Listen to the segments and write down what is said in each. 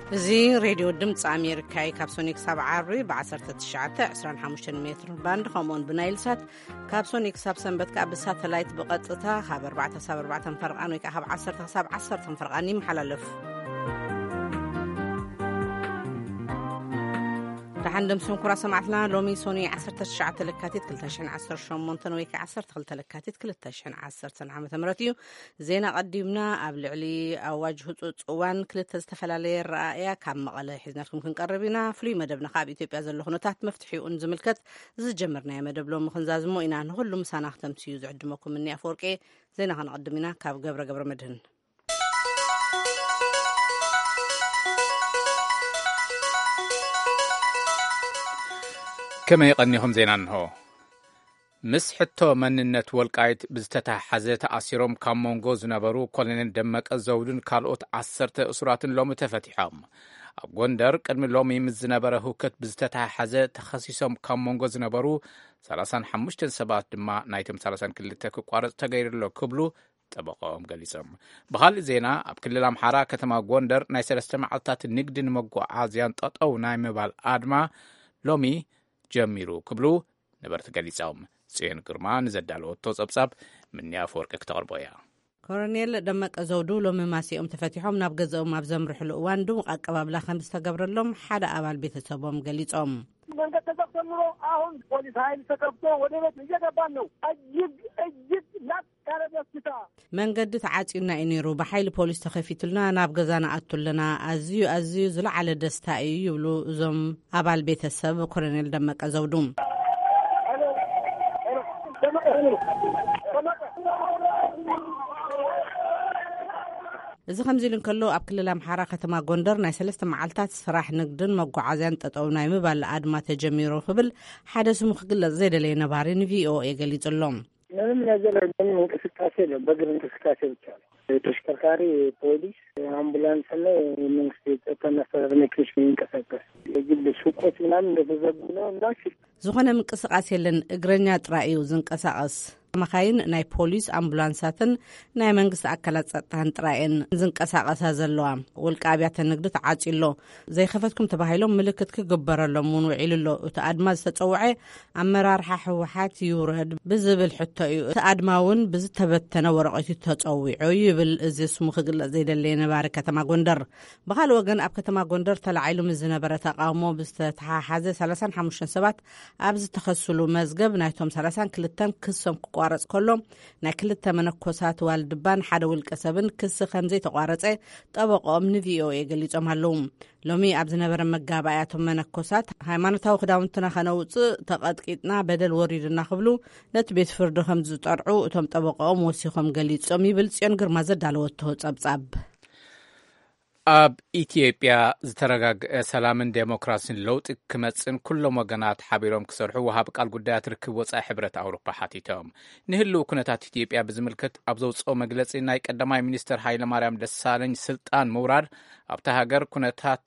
እዚ ሬድዮ ድምፂ ኣሜሪካ እዩ። ካብ ሶኒ ክሳብ ዓርቢ ብ19፣ 25 ሜትር ባንድ፣ ከምኡውን ብናይል ሳት፣ ካብ ሶኒ ክሳብ ሰንበት ከዓ ብሳተላይት ብቐጥታ ካብ 4 ክሳብ 4 ፈርቓን ወይ ከዓ ካብ 10 ክሳብ 10 ፈርቓን ይመሓላለፍ። ደሓን ደምስም ኩራ ሰማዕትና። ሎሚ ሶኒ 19 ለካቲት 2018 ወይ ከዓ 12 ለካቲት 2010 ዓመተ ምህረት እዩ። ዜና ቀዲምና። ኣብ ልዕሊ ኣዋጅ ህጹጽ እዋን ክልተ ዝተፈላለየ ረኣያ ካብ መቐለ ሒዝናልኩም ክንቀርብ ኢና። ፍሉይ መደብና ካብ ኢትዮጵያ ዘሎ ኩነታት መፍትሒኡን ዝምልከት ዝጀመርናዮ መደብ ሎሚ ክንዛዝሞ ኢና። ንኹሉ ምሳና ክተምስዩ ዝዕድመኩም እኒ ኣፈወርቂ። ዜና ከነቐድም ኢና ካብ ገብረ ገብረ መድህን። ከመይ ቀኒኹም? ዜና እንሆ። ምስ ሕቶ መንነት ወልቃይት ብዝተተሓሓዘ ተኣሲሮም ካብ መንጎ ዝነበሩ ኮሎኔል ደመቀ ዘውዱን ካልኦት ዓሰርተ እሱራትን ሎሚ ተፈቲሖም። ኣብ ጎንደር ቅድሚ ሎሚ ምስ ዝነበረ ህውከት ብዝተተሓሓዘ ተኸሲሶም ካብ መንጎ ዝነበሩ 35 ሰባት ድማ ናይቶም 32 ክቋረጽ ተገይሩ ኣሎ ክብሉ ጠበቃኦም ገሊጾም። ብኻልእ ዜና፣ ኣብ ክልል ኣምሓራ ከተማ ጎንደር ናይ ሰለስተ መዓልታት ንግድን መጓዓዝያን ጠጠው ናይ ምባል ኣድማ ሎሚ ጀሚሩ ክብሉ ነበርቲ ገሊጾም። ጽዮን ግርማ ንዘዳለወቶ ጸብጻብ ምንያ ኣፈወርቂ ክተቕርቦ እያ። ኮሎኔል ደመቀ ዘውዱ ሎሚ ማሲኦም ተፈቲሖም ናብ ገዛኦም ኣብ ዘምርሕሉ እዋን ድሙቕ ኣቀባብላ ከም ዝተገብረሎም ሓደ ኣባል ቤተሰቦም ገሊጾም። መንገድ ተዘግቶ ኑሮ፣ አሁን ፖሊስ ኃይል ተከፍቶ ወደ ቤት እየገባን ነው። እጅግ እጅግ ላቅ ያለ ደስታ። መንገዲ ተዓጽዩና እዩ ነይሩ፣ ብሓይሊ ፖሊስ ተኸፊቱልና ናብ ገዛ ንኣቱ ኣለና። ኣዝዩ ኣዝዩ ዝለዓለ ደስታ እዩ ይብሉ እዞም ኣባል ቤተሰብ ኮሎኔል ደመቀ ዘውዱ። እዚ ከምዚ ኢሉ እንከሎ፣ ኣብ ክልል ኣምሓራ ከተማ ጎንደር ናይ ሰለስተ መዓልታት ስራሕ ንግድን መጓዓዝያን ጠጠው ናይ ምባል ኣድማ ተጀሚሩ ክብል ሓደ ስሙ ክግለጽ ዘይደለየ ነባሪ ንቪኦኤ ገሊጹ ኣሎ። ምንም ነገር የለም፣ እንቅስቃሴ የለም። በእግር እንቅስቃሴ ብቻ ነው። ተሽከርካሪ፣ ፖሊስ፣ አምቡላንስ እና የመንግስት የጸጥታ መስተዳደር መኪኖች ነው የሚንቀሳቀስ። የግል ሱቆች ምናምን እንደተዘጉ ነው እና ዝኾነ ምንቅስቃስ የለን፣ እግረኛ ጥራይ እዩ ዝንቀሳቐስ። መኻይን ናይ ፖሊስ፣ ኣምቡላንሳትን ናይ መንግስቲ ኣካላት ጸጥታን ጥራይ እየን ዝንቀሳቐሳ ዘለዋ። ውልቀ ኣብያተ ንግዲ ተዓጽዩ ኣሎ። ዘይኸፈትኩም ተባሂሎም ምልክት ክግበረሎም እውን ውዒሉ ኣሎ። እቲ ኣድማ ዝተጸውዐ ኣመራርሓ ህወሓት ይውረድ ብዝብል ሕቶ እዩ። እቲ ኣድማ እውን ብዝተበተነ ወረቐት እዩ ተጸዊዑ ይብል እዚ ስሙ ክግለጽ ዘይደለየ ነባሪ ከተማ ጎንደር። ብኻልእ ወገን፣ ኣብ ከተማ ጎንደር ተላዒሉ ምስ ዝነበረ ተቃውሞ ብዝተተሓሓዘ 35 ሰባት ኣብ ዝተኸስሉ መዝገብ ናይቶም 32 ክሶም ክቋረጽ ከሎ፣ ናይ ክልተ መነኮሳት ዋልድባን ሓደ ውልቀ ሰብን ክሲ ከም ዘይተቋረጸ ጠበቆኦም ንቪኦኤ ገሊጾም ኣለዉ። ሎሚ ኣብ ዝነበረ መጋባእያ፣ እቶም መነኮሳት ሃይማኖታዊ ክዳውንትና ከነውጽእ ተቐጥቂጥና፣ በደል ወሪድና ክብሉ ነቲ ቤት ፍርዲ ከም ዝጠርዑ እቶም ጠበቆኦም ወሲኾም ገሊጾም ይብል ጽዮን ግርማ ዘዳለወቶ ጸብጻብ። ኣብ ኢትዮጵያ ዝተረጋግአ ሰላምን ዴሞክራሲን ለውጢ ክመጽእን ኩሎም ወገናት ሓቢሮም ክሰርሑ ወሃቢ ቃል ጉዳያት ርክብ ወጻኢ ሕብረት ኣውሮፓ ሓቲቶም። ንህልው ኩነታት ኢትዮጵያ ብዝምልከት ኣብ ዘውጽኦ መግለጺ፣ ናይ ቀዳማይ ሚኒስትር ሃይለማርያም ደሳለኝ ስልጣን ምውራድ ኣብታ ሃገር ኩነታት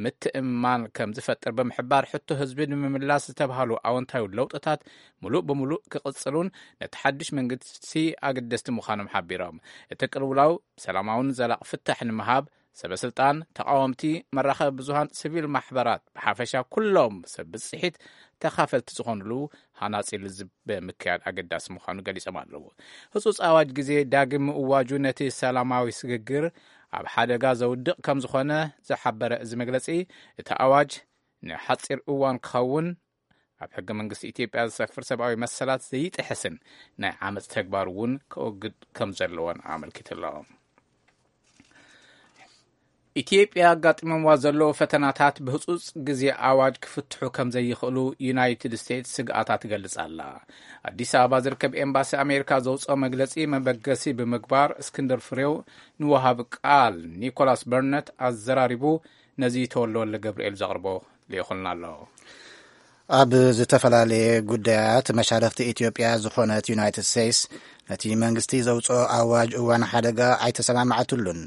ምትእምማን ከም ዝፈጥር ብምሕባር፣ ሕቶ ህዝቢ ንምምላስ ዝተባህሉ ኣወንታዊ ለውጥታት ምሉእ ብምሉእ ክቕጽሉን ነቲ ሓድሽ መንግስቲ ኣገደስቲ ምዃኖም ሓቢሮም። እቲ ቅልውላው ሰላማውን ዘላቕ ፍታሕ ንምሃብ፣ ሰበ ስልጣን፣ ተቃወምቲ፣ መራኸቢ ብዙሃን፣ ሲቪል ማሕበራት፣ ብሓፈሻ ኩሎም ሰብ ብጽሒት ተኻፈልቲ ዝኾኑሉ ሃናጺ ልዝብ ምክያድ ኣገዳሲ ምዃኑ ገሊጾም ኣለዉ። ህጹጽ ኣዋጅ ግዜ ዳግም ምእዋጁ ነቲ ሰላማዊ ስግግር ኣብ ሓደጋ ዘውድቕ ከም ዝኾነ ዝሓበረ እዚ መግለጺ፣ እቲ ኣዋጅ ንሓጺር እዋን ክኸውን፣ ኣብ ሕገ መንግስቲ ኢትዮጵያ ዝሰፍር ሰብኣዊ መሰላት ዘይጥሕስን ናይ ዓመጽ ተግባር እውን ክወግድ ከም ዘለዎን ኣመልኪቱ ኣሎ። ኢትዮጵያ ኣጋጢሞምዋ ዘለዉ ፈተናታት ብህጹጽ ግዜ ኣዋጅ ክፍትሑ ከም ዘይኽእሉ ዩናይትድ ስቴትስ ስግኣታ ትገልጽ ኣላ። ኣዲስ ኣበባ ዝርከብ ኤምባሲ ኣሜሪካ ዘውጽኦ መግለጺ መበገሲ ብምግባር፣ እስክንድር ፍሬው ንወሃቢ ቃል ኒኮላስ በርነት ኣዘራሪቡ ነዚ ተወልደወልደ ገብርኤል ዘቕርቦ ልኢኹልና ኣሎ። ኣብ ዝተፈላለየ ጉዳያት መሻርኽቲ ኢትዮጵያ ዝኾነት ዩናይትድ ስቴትስ፣ ነቲ መንግስቲ ዘውጽኦ ኣዋጅ እዋን ሓደጋ ኣይተሰማማዕትሉን።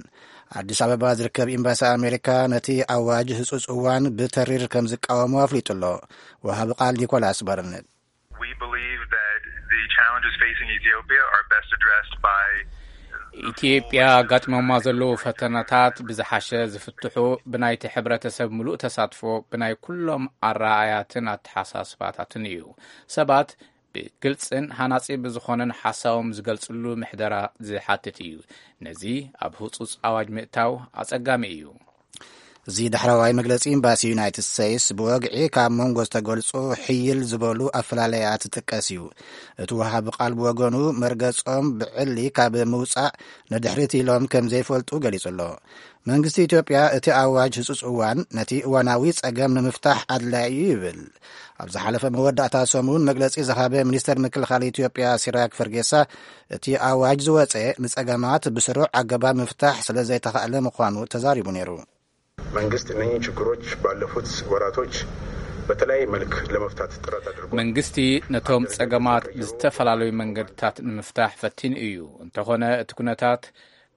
ኣዲስ ኣበባ ዝርከብ ኤምባሲ ኣሜሪካ ነቲ ኣዋጅ ህጹጽ እዋን ብተሪር ከም ዝቃወሞ ኣፍሊጡ ኣሎ። ወሃቢ ቃል ኒኮላስ በርነት። We believe that the challenges facing Ethiopia are best addressed by ኢትዮጵያ ኣጋጢሞማ ዘለዉ ፈተነታት ብዝሓሸ ዝፍትሑ ብናይቲ ሕብረተሰብ ምሉእ ተሳትፎ፣ ብናይ ኩሎም ኣረኣእያትን ኣተሓሳስባታትን እዩ። ሰባት ብግልጽን ሃናጺ ብዝኾነን ሓሳቦም ዝገልጽሉ ምሕደራ ዝሓትት እዩ። ነዚ ኣብ ህጹጽ ኣዋጅ ምእታው ኣጸጋሚ እዩ። እዚ ዳሕረዋይ መግለጺ ኤምባሲ ዩናይትድ ስቴትስ ብወግዒ ካብ መንጎ ዝተገልጹ ሕይል ዝበሉ ኣፈላለያት ዝጥቀስ እዩ። እቲ ወሃቢ ቃል ብወገኑ መርገጾም ብዕሊ ካብ ምውጻእ ንድሕሪት ኢሎም ከም ዘይፈልጡ ገሊጹ ኣሎ። መንግስቲ ኢትዮጵያ እቲ ኣዋጅ ህጹጽ እዋን ነቲ እዋናዊ ጸገም ንምፍታሕ ኣድላዪ እዩ ይብል። ኣብ ዝሓለፈ መወዳእታ ሰሙን መግለጺ ዝሃበ ሚኒስተር ምክልኻል ኢትዮጵያ ሲራክ ፈርጌሳ፣ እቲ ኣዋጅ ዝወጸ ንጸገማት ብስሩዕ ኣገባብ ምፍታሕ ስለ ዘይተኻእለ ምዃኑ ተዛሪቡ ነይሩ። መንግስት እነኚህ ችግሮች ባለፉት ወራቶች በተለያየ መልክ ለመፍታት ጥረት አድርጓል። መንግስቲ ነቶም ጸገማት ብዝተፈላለዩ መንገድታት ንምፍታሕ ፈቲኑ እዩ። እንተኾነ እቲ ኩነታት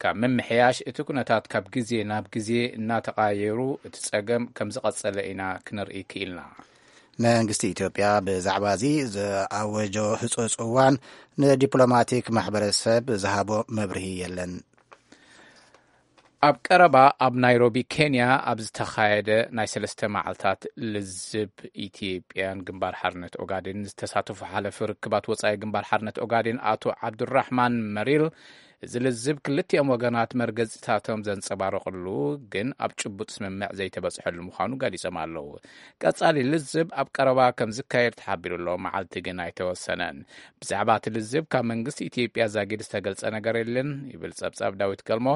ካብ ምምሕያሽ፣ እቲ ኩነታት ካብ ግዜ ናብ ግዜ እናተቐያየሩ እቲ ጸገም ከም ዝቐጸለ ኢና ክንርኢ ክኢልና። መንግስቲ ኢትዮጵያ ብዛዕባ እዚ ዝኣወጆ ህጹጽ እዋን ንዲፕሎማቲክ ማሕበረሰብ ዝሃቦ መብርሂ የለን። ኣብ ቀረባ ኣብ ናይሮቢ ኬንያ ኣብ ዝተኻየደ ናይ ሰለስተ መዓልታት ልዝብ ኢትዮጵያን ግንባር ሓርነት ኦጋዴን ዝተሳተፉ ሓለፊ ርክባት ወጻኢ ግንባር ሓርነት ኦጋዴን ኣቶ ዓብዱራሕማን መሪል፣ እዚ ልዝብ ክልቲኦም ወገናት መርገጺታቶም ዘንጸባረቕሉ ግን ኣብ ጭቡጥ ስምምዕ ዘይተበጽሐሉ ምዃኑ ገሊጾም ኣለዉ። ቀጻሊ ልዝብ ኣብ ቀረባ ከም ዝካየድ ተሓቢሩ ኣሎ። መዓልቲ ግን ኣይተወሰነን። ብዛዕባ እቲ ልዝብ ካብ መንግስቲ ኢትዮጵያ ዛጊድ ዝተገልጸ ነገር የለን ይብል ጸብጻብ ዳዊት ገልሞ።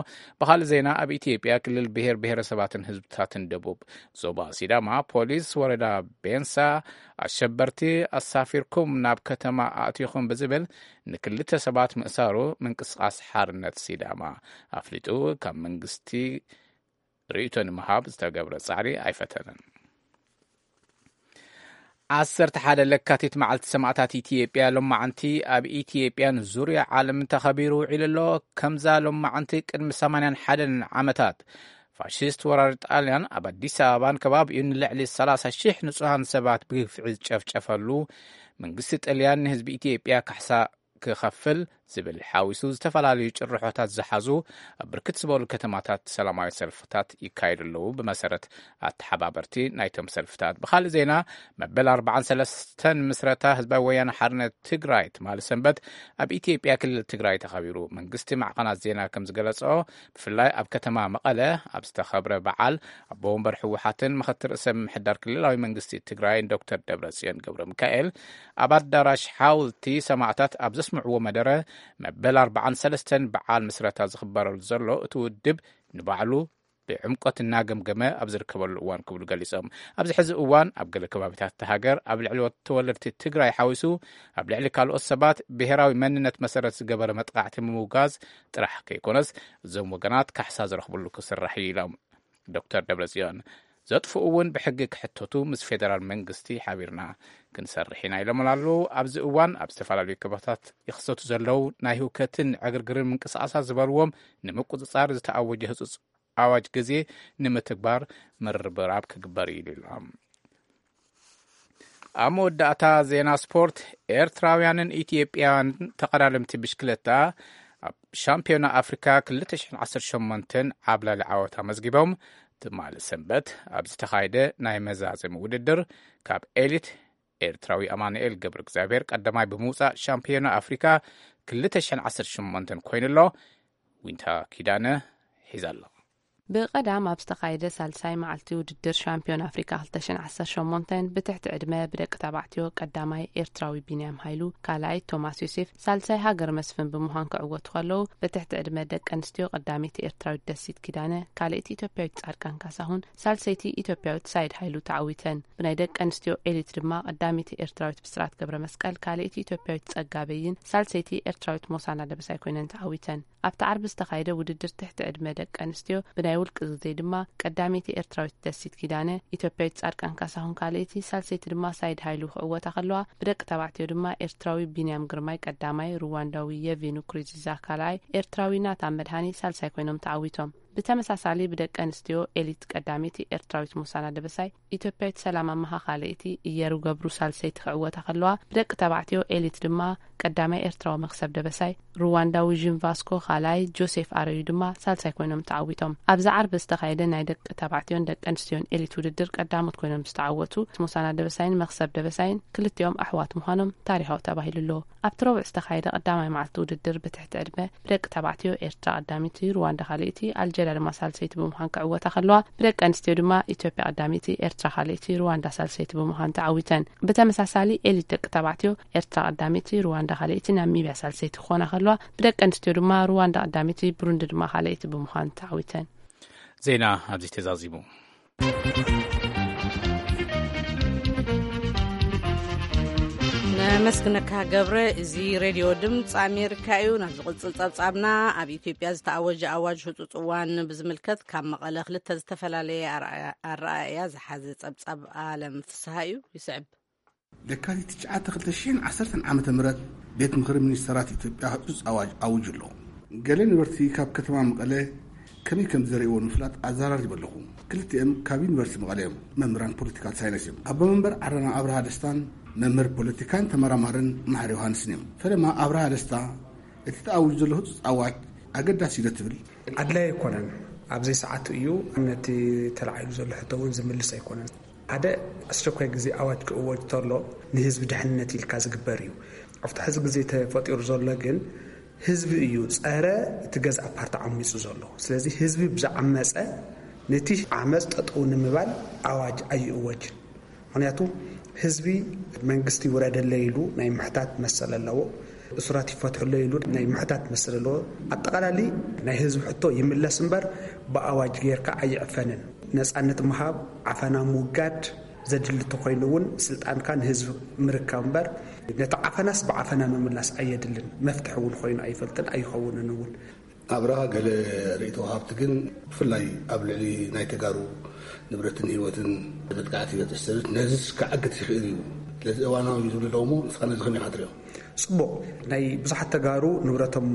ብኻልእ ዜና፣ ኣብ ኢትዮጵያ ክልል ብሔር ብሔረሰባትን ህዝብታትን ደቡብ ዞባ ሲዳማ ፖሊስ ወረዳ ቤንሳ ኣሸበርቲ ኣሳፊርኩም ናብ ከተማ ኣእቲኹም ብዝብል ንክልተ ሰባት ምእሳሩ ምንቅስቃስ ሓርነት ሲዳማ ኣፍሊጡ። ካብ መንግስቲ ርእይቶ ንምሃብ ዝተገብረ ጻዕሪ ኣይፈተነን። ዓሰርተ ሓደ ለካቲት መዓልቲ ሰማእታት ኢትዮጵያ ሎማዓንቲ ኣብ ኢትዮጵያን ዙርያ ዓለምን ተኸቢሩ ውዒሉ ኣሎ። ከምዛ ሎማዓንቲ ቅድሚ ሰማንያን ሓደን ዓመታት ፋሽስት ወራሪ ጣልያን ኣብ ኣዲስ ኣበባን ከባቢኡን ንልዕሊ ሰላሳ ሺሕ ንጹሃን ሰባት ብግፍዒ ዝጨፍጨፈሉ፣ መንግስቲ ጣልያን ንህዝቢ ኢትዮጵያ ካሕሳ ክኸፍል ዝብል ሓዊሱ ዝተፈላለዩ ጭርሖታት ዝሓዙ ኣብ ብርክት ዝበሉ ከተማታት ሰላማዊ ሰልፍታት ይካየዱ ኣለዉ። ብመሰረት ኣተሓባበርቲ ናይቶም ሰልፍታት። ብኻልእ ዜና፣ መበል ኣርባዓን ሰለስተን ምስረታ ህዝባዊ ወያነ ሓርነት ትግራይ ትማሊ ሰንበት ኣብ ኢትዮጵያ ክልል ትግራይ ተኸቢሩ። መንግስቲ ማዕኸናት ዜና ከም ዝገለጾ፣ ብፍላይ ኣብ ከተማ መቐለ ኣብ ዝተኸብረ በዓል ኣቦ ወንበር ህወሓትን ምኽትል ርእሰ ምምሕዳር ክልላዊ መንግስቲ ትግራይን ዶክተር ደብረጽዮን ገብረ ሚካኤል ኣብ ኣዳራሽ ሓወልቲ ሰማእታት ኣብ ዘስምዕዎ መደረ፣ መበል ኣርባዓን ሰለስተን በዓል ምስረታ ዝኽበረሉ ዘሎ እቲ ውድብ ንባዕሉ ብዕምቆት እናገምገመ ኣብ ዝርከበሉ እዋን ክብሉ ገሊጾም። ኣብዚ ሕዚ እዋን ኣብ ገለ ከባቢታት እታ ሃገር ኣብ ልዕሊ ተወለድቲ ትግራይ ሓዊሱ ኣብ ልዕሊ ካልኦት ሰባት ብሄራዊ መንነት መሰረት ዝገበረ መጥቃዕቲ ምምውጋዝ ጥራሕ ከይኮነስ እዞም ወገናት ካሕሳ ዝረኽብሉ ክስራሕ እዩ ኢሎም። ዶክተር ደብረጽዮን ዘጥፍኡ እውን ብሕጊ ክሕተቱ ምስ ፌደራል መንግስቲ ሓቢርና ክንሰርሕ ኢና ኢሎም ኣለዉ። ኣብዚ እዋን ኣብ ዝተፈላለዩ ከባቢታት ይኽሰቱ ዘለዉ ናይ ህውከትን ዕግርግርን ምንቅስቃሳት ዝበልዎም ንምቁጽጻር ዝተኣወጀ ህጹጽ ኣዋጅ ግዜ ንምትግባር ምርብራብ ክግበር እዩ ኢሎም። ኣብ መወዳእታ ዜና ስፖርት፣ ኤርትራውያንን ኢትዮጵያውያን ተቐዳደምቲ ብሽክለታ ኣብ ሻምፒዮና ኣፍሪካ ክልተ ሽሕን ዓሰርተ ሸሞንተን ዓብላሊ ዓወት ኣመዝጊቦም። ትማሊ ሰንበት ኣብ ዝተኻየደ ናይ መዛዘሚ ውድድር ካብ ኤሊት ኤርትራዊ ኣማኑኤል ገብረ እግዚኣብሔር ቀዳማይ ብምውፃእ ሻምፒዮና ኣፍሪካ ክልተ ሽሕን ዓሰርተ ሸሞንተን ኮይኑ ኣሎ። ዊንታ ኪዳነ ሒዛ ኣሎ። ብቐዳም ኣብ ዝተኻየደ ሳልሳይ መዓልቲ ውድድር ሻምፒዮን ኣፍሪካ ክልተ ሽሕን ዓሰርተ ሸሞንተን ብትሕቲ ዕድመ ብደቂ ተባዕትዮ ቀዳማይ ኤርትራዊ ቢንያም ሃይሉ፣ ካልኣይ ቶማስ ዮሴፍ፣ ሳልሳይ ሃገር መስፍን ብምዃን ክዕወቱ ከለዉ፣ ብትሕቲ ዕድመ ደቂ ኣንስትዮ ቀዳመይቲ ኤርትራዊት ደሲት ኪዳነ፣ ካልኣይቲ ኢትዮጵያዊት ጻድቃን ካሳሁን፣ ሳልሰይቲ ኢትዮጵያዊት ሳይድ ሃይሉ ተዓዊተን። ብናይ ደቂ ኣንስትዮ ኤሊት ድማ ቀዳመይቲ ኤርትራዊት ብስራት ገብረ መስቀል፣ ካልኣይቲ ኢትዮጵያዊት ጸጋ በይን፣ ሳልሰይቲ ኤርትራዊት ሞሳና ደበሳይ ኮይነን ተዓዊተን። ኣብቲ ዓርቢ ዝተኻየደ ውድድር ትሕቲ ዕድመ ደቂ ኣንስትዮ ብናይ ውልቂ ግዜ ድማ ቀዳመይቲ ኤርትራዊት ደሲት ኪዳነ፣ ኢትዮጵያዊት ጻድቃን ካሳሁን ካልኣይቲ፣ ሳልሰይቲ ድማ ሳይድ ሃይሉ ክዕወታ ከለዋ፣ ብደቂ ተባዕትዮ ድማ ኤርትራዊ ቢንያም ግርማይ ቀዳማይ፣ ሩዋንዳዊ የቪኑ ክሪዚዛ ካልኣይ፣ ኤርትራዊ ናታን መድሃኔ ሳልሳይ ኮይኖም ተዓዊቶም። ብተመሳሳሊ ብደቂ ኣንስትዮ ኤሊት ቀዳመይቲ ኤርትራዊት ሙሳና ደበሳይ፣ ኢትዮጵያዊት ሰላም ኣመሃ ካልኣይቲ፣ እየሩ ገብሩ ሳልሰይቲ ክዕወታ ከለዋ፣ ብደቂ ተባዕትዮ ኤሊት ድማ ቀዳማይ ኤርትራዊ መክሰብ ደበሳይ፣ ሩዋንዳዊ ዥን ቫስኮ ካልኣይ፣ ጆሴፍ ኣረዩ ድማ ሳልሳይ ኮይኖም ተዓዊቶም። ኣብዚ ዓርቢ ዝተኻየደ ናይ ደቂ ተባዕትዮን ደቂ ኣንስትዮን ኤሊት ውድድር ቀዳሞት ኮይኖም ዝተዓወቱ ሙሳና ደበሳይን መክሰብ ደበሳይን ክልቲኦም ኣሕዋት ምዃኖም ታሪኻዊ ተባሂሉ ኣሎ። ኣብቲ ረቡዕ ዝተኻየደ ቀዳማይ መዓልቲ ውድድር ብትሕቲ ዕድመ ብደቂ ተባዕትዮ ኤርትራ ቀዳመይቲ፣ ሩዋንዳ ካልኣይቲ፣ ኣልጀርያ ድማ ሳልሰይቲ ብምዃን ክዕወታ ከለዋ፣ ብደቂ ኣንስትዮ ድማ ኢትዮጵያ ቀዳመይቲ፣ ኤርትራ ካልኣይቲ፣ ሩዋንዳ ሳልሰይቲ ብምዃን ተዓዊተን። ብተመሳሳሊ ኤሊት ደቂ ተባዕትዮ ኤርትራ ቀዳመይቲ፣ ሩዋንዳ ካልኣይቲ፣ ናሚብያ ሳልሰይቲ ክኾና ከለዋ፣ ብደቂ ኣንስትዮ ድማ ሩዋንዳ ቀዳመይቲ፣ ብሩንዲ ድማ ካልኣይቲ ብምዃን ተዓዊተን። ዜና ኣብዚ ተዛዚሙ። ነመስግነካ ገብረ። እዚ ሬድዮ ድምፂ ኣሜሪካ እዩ። ናብ ዝቕፅል ፀብፃብና፣ ኣብ ኢትዮጵያ ዝተኣወጀ ኣዋጅ ህፁፅ እዋን ብዝምልከት ካብ መቐለ ክልተ ዝተፈላለየ ኣረኣእያ ዝሓዘ ፀብፃብ ኣለም ፍስሃ እዩ። ይስዕብ። ለካቲት ትሽዓተ ክልተ ሽሕን ዓሰርተን ዓመተ ምህረት ቤት ምኽሪ ሚኒስተራት ኢትዮጵያ ህጹጽ ኣዋጅ ኣዊጁ ኣሎ። ገለ ነበርቲ ካብ ከተማ መቐለ ከመይ ከም ዝዘርእዎ ንምፍላጥ ኣዘራሪበ ኣለኹ። ክልቲኦም ካብ ዩኒቨርሲቲ መቐለ እዮም። መምህራን ፖለቲካል ሳይንስ እዮም። ኣቦ መንበር ዓረና ኣብርሃ ደስታን መምህር ፖለቲካን ተመራማርን መሓሪ ዮሃንስን እዮም። ፈለማ ኣብርሃ ደስታ፣ እቲ ተኣዊጁ ዘሎ ህጹጽ ኣዋጅ ኣገዳሲ እዩ ዶ ትብል? ኣድላይ ኣይኮነን። ኣብ ዘይሰዓቱ እዩ። ነቲ ተላዒሉ ዘሎ ሕቶ እውን ዝምልስ ኣይኮነን። ሓደ ኣስቸኳይ ግዜ ኣዋጅ ክእወጅ ተሎ ንህዝቢ ድሕንነት ኢልካ ዝግበር እዩ። ኣብቲ ሕዚ ግዜ ተፈጢሩ ዘሎ ግን ህዝቢ እዩ ጸረ እቲ ገዛእ ፓርቲ ዓሚጹ ዘሎ። ስለዚ ህዝቢ ብዝዓመጸ ነቲ ዓመጽ ጠጠው ንምባል ኣዋጅ ኣይእወጅን። ምኽንያቱ ህዝቢ መንግስቲ ይውረደለይ ኢሉ ናይ ምሕታት መሰል ኣለዎ። እሱራት ይፈትሑለይ ኢሉ ናይ ምሕታት መሰል ኣለዎ። ኣጠቓላሊ ናይ ህዝቢ ሕቶ ይምለስ እምበር ብኣዋጅ ጌርካ ኣይዕፈንን። ነጻነት ምሃብ፣ ዓፈና ምውጋድ ዘድሊ እንተኾይኑ እውን ስልጣንካ ንህዝቢ ምርካብ እምበር ነቲ ዓፈናስ ብዓፈና ምምላስ ኣየድልን። መፍትሒ እውን ኮይኑ ኣይፈልጥን ኣይኸውንን እውን። ኣብርሃ፣ ገለ ርእይቶ ወሃብቲ ግን ብፍላይ ኣብ ልዕሊ ናይ ተጋሩ ንብረትን ህይወትን መጥቃዕቲ ይበፅሕ ዝብል ነዚስ ክዓግት ይኽእል እዩ። ስለዚ እዋናዊ እዩ ዝብሉ ኣለዉ እሞ ንስኻ ነዚ ከመይ ኢኻ ትሪኦ? ጽቡቕ። ናይ ብዙሓት ተጋሩ ንብረቶም